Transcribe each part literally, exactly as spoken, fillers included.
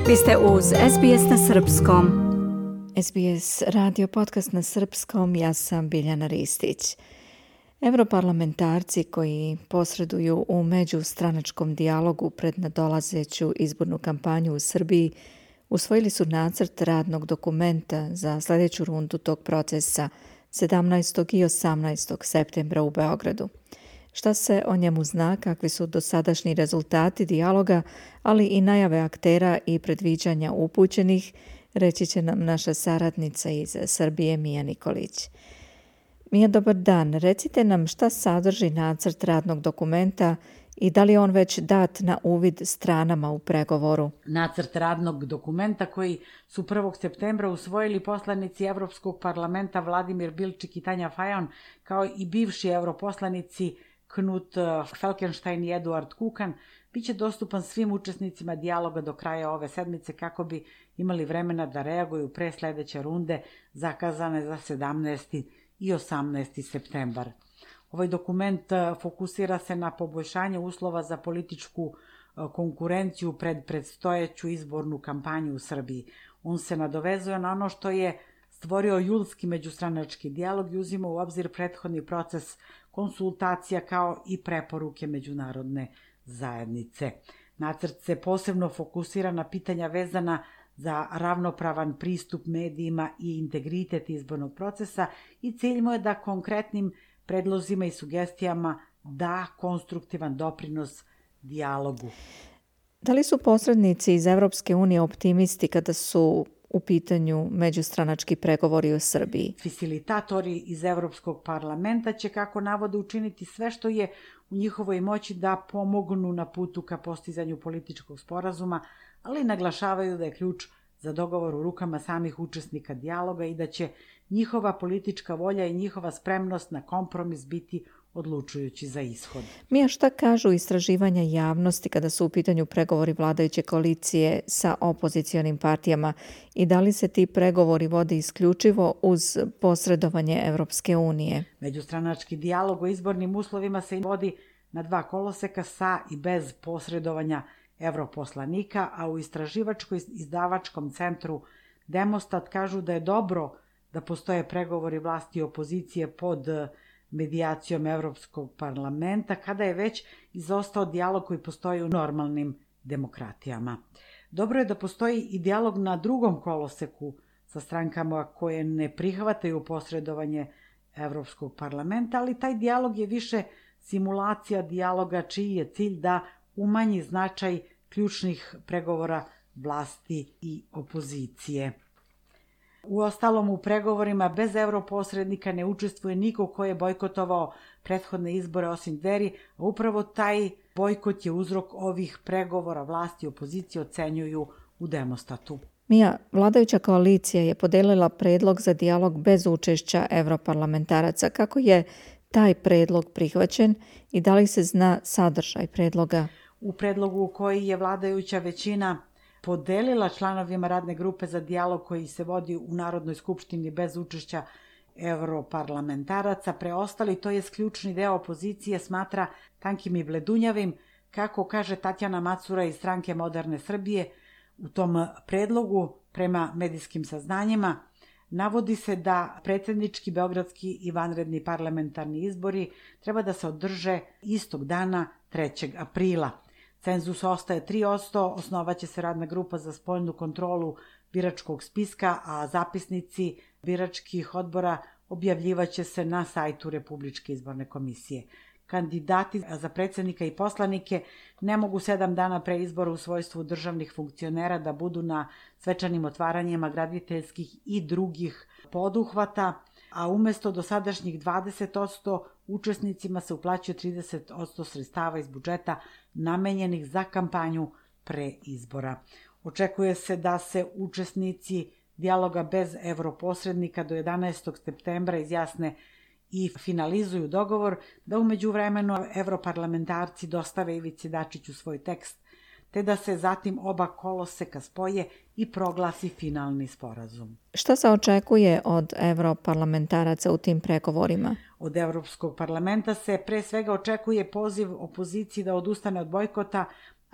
Vi ste uz S B S na srpskom. S B S radio podcast na srpskom, ja sam Biljana Ristić. Europarlamentarci koji posreduju u međustranačkom dijalogu pred nadolazeću izbornu kampanju u Srbiji usvojili su nacrt radnog dokumenta za sljedeću rundu tog procesa sedamnaestog i osamnaestog septembra u Beogradu. Šta se o njemu zna, kakvi su dosadašnji rezultati dijaloga, ali i najave aktera i predviđanja upućenih, reći će nam naša saradnica iz Srbije Mija Nikolić. Mija, dobar dan. Recite nam šta sadrži nacrt radnog dokumenta i da li je on već dat na uvid stranama u pregovoru? Nacrt radnog dokumenta koji su prvog septembra usvojili poslanici Evropskog parlamenta Vladimir Bilčik i Tanja Fajon, kao i bivši europoslanici Knut Fleckenstein i Eduard Kukan, bit će dostupan svim učesnicima dijaloga do kraja ove sedmice kako bi imali vremena da reaguju pre sljedeće runde zakazane za sedamnaesti i osamnaesti septembar. Ovaj dokument fokusira se na poboljšanje uslova za političku konkurenciju pred predstojeću izbornu kampanju u Srbiji. On se nadovezuje na ono što je stvorio julski međustranački dijalog i uzima u obzir prethodni proces konsultacija kao i preporuke međunarodne zajednice. Nacrt se posebno fokusira na pitanja vezana za ravnopravan pristup medijima i integritet izbornog procesa i cilj mu je da konkretnim predlozima i sugestijama da konstruktivan doprinos dijalogu. Da li su posrednici iz Evropske unije optimisti kada su u pitanju međustranački pregovori u Srbiji? Facilitatori iz Evropskog parlamenta će, kako navode, učiniti sve što je u njihovoj moći da pomognu na putu ka postizanju političkog sporazuma, ali naglašavaju da je ključ za dogovor u rukama samih učesnika dijaloga i da će njihova politička volja i njihova spremnost na kompromis biti odlučujući za ishod. Mija, šta kažu istraživanja javnosti kada su u pitanju pregovori vladajuće koalicije sa opozicionim partijama i da li se ti pregovori vode isključivo uz posredovanje Evropske unije? Međustranački dijalog o izbornim uslovima se vodi na dva koloseka sa i bez posredovanja evroposlanika, a u istraživačko-izdavačkom centru Demostat kažu da je dobro da postoje pregovori vlasti i opozicije pod medijacijom Evropskog parlamenta, kada je već izostao dijalog koji postoji u normalnim demokratijama. Dobro je da postoji i dijalog na drugom koloseku sa strankama koje ne prihvataju posredovanje Evropskog parlamenta, ali taj dijalog je više simulacija dijaloga čiji je cilj da umanji značaj ključnih pregovora vlasti i opozicije. Uostalom, u pregovorima bez europosrednika ne učestvuje niko ko je bojkotovao prethodne izbore osim Dveri, a upravo taj bojkot je uzrok ovih pregovora vlasti i opozicije, ocenjuju u Demostatu. Mija, vladajuća koalicija je podelila predlog za dijalog bez učešća europarlamentaraca. Kako je taj predlog prihvaćen i da li se zna sadržaj predloga? U predlogu koji je vladajuća većina podelila članovima radne grupe za dijalog koji se vodi u Narodnoj skupštini bez učešća europarlamentaraca, preostali, to je ključni deo opozicije, smatra tankim i bledunjavim, kako kaže Tatjana Macura iz stranke Moderne Srbije. U tom predlogu, prema medijskim saznanjima, navodi se da predsjednički, beogradski i vanredni parlamentarni izbori treba da se održe istog dana trećeg aprila. Cenzus ostaje tri posto, osnovaće se radna grupa za spoljnu kontrolu biračkog spiska, a zapisnici biračkih odbora objavljivaće se na sajtu Republičke izborne komisije. Kandidati za predsjednika i poslanike ne mogu sedam dana pre izbora u svojstvu državnih funkcionera da budu na svečanim otvaranjima graditeljskih i drugih poduhvata, a umjesto dosadašnjih dvadeset posto učesnicima se uplaćuje trideset posto sredstava iz budžeta namenjenih za kampanju pre izbora. Očekuje se da se učesnici dijaloga bez europosrednika do jedanaestog septembra izjasne i finalizuju dogovor, da u međuvremenu evroparlamentarci dostave Ivici Dačiću svoj tekst, te da se zatim oba koloseka spoje i proglasi finalni sporazum. Šta se očekuje od evroparlamentaraca u tim pregovorima? Od Evropskog parlamenta se pre svega očekuje poziv opoziciji da odustane od bojkota,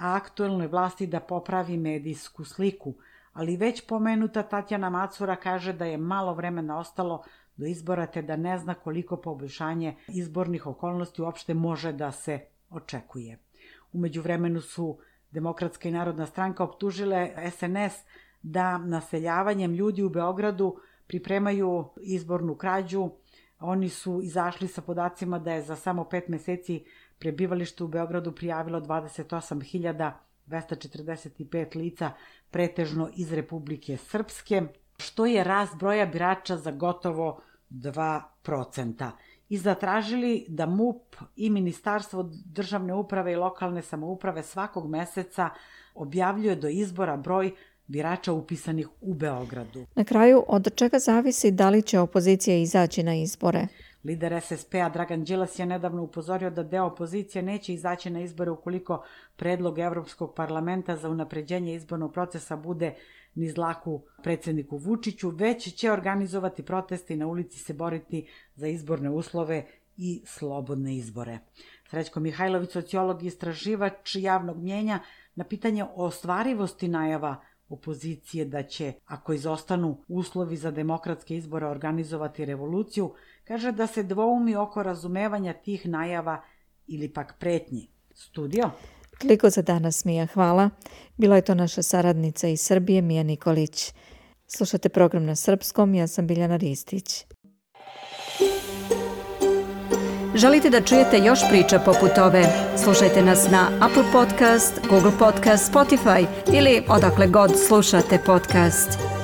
a aktuelnoj vlasti da popravi medijsku sliku. Ali već pomenuta Tatjana Macura kaže da je malo vremena ostalo do izbora te da ne zna koliko poboljšanje izbornih okolnosti uopšte može da se očekuje. U međuvremenu su Demokratska i Narodna stranka optužile es en es da naseljavanjem ljudi u Beogradu pripremaju izbornu krađu. Oni su izašli sa podacima da je za samo pet meseci prebivalište u Beogradu prijavilo dvadeset osam hiljada dvesta četrdeset pet lica, pretežno iz Republike Srpske, što je rast broja birača za gotovo dva procenta. I zatražili da M U P i Ministarstvo državne uprave i lokalne samouprave svakog meseca objavljuje do izbora broj birača upisanih u Beogradu. Na kraju, od čega zavisi da li će opozicija izaći na izbore? Lider es es pe a Dragan Đilas je nedavno upozorio da deo opozicije neće izaći na izbore ukoliko predlog Evropskog parlamenta za unapređenje izbornog procesa bude niz dlaku predsjedniku Vučiću, već će organizovati proteste i na ulici se boriti za izborne uslove i slobodne izbore. Srećko Mihajlović, sociolog i istraživač javnog mnjenja, na pitanje o ostvarivosti najava opozicije da će, ako izostanu uslovi za demokratske izbore, organizovati revoluciju, kaže da se dvoumi oko razumevanja tih najava ili pak pretnji. Studio? Toliko za danas, Mija, hvala. Bila je to naša saradnica iz Srbije, Mija Nikolić. Slušate program na srpskom, ja sam Biljana Ristić. Želite da čujete još priča poput ove? Slušajte nas na Apple Podcast, Google Podcast, Spotify ili odakle god slušate podcast.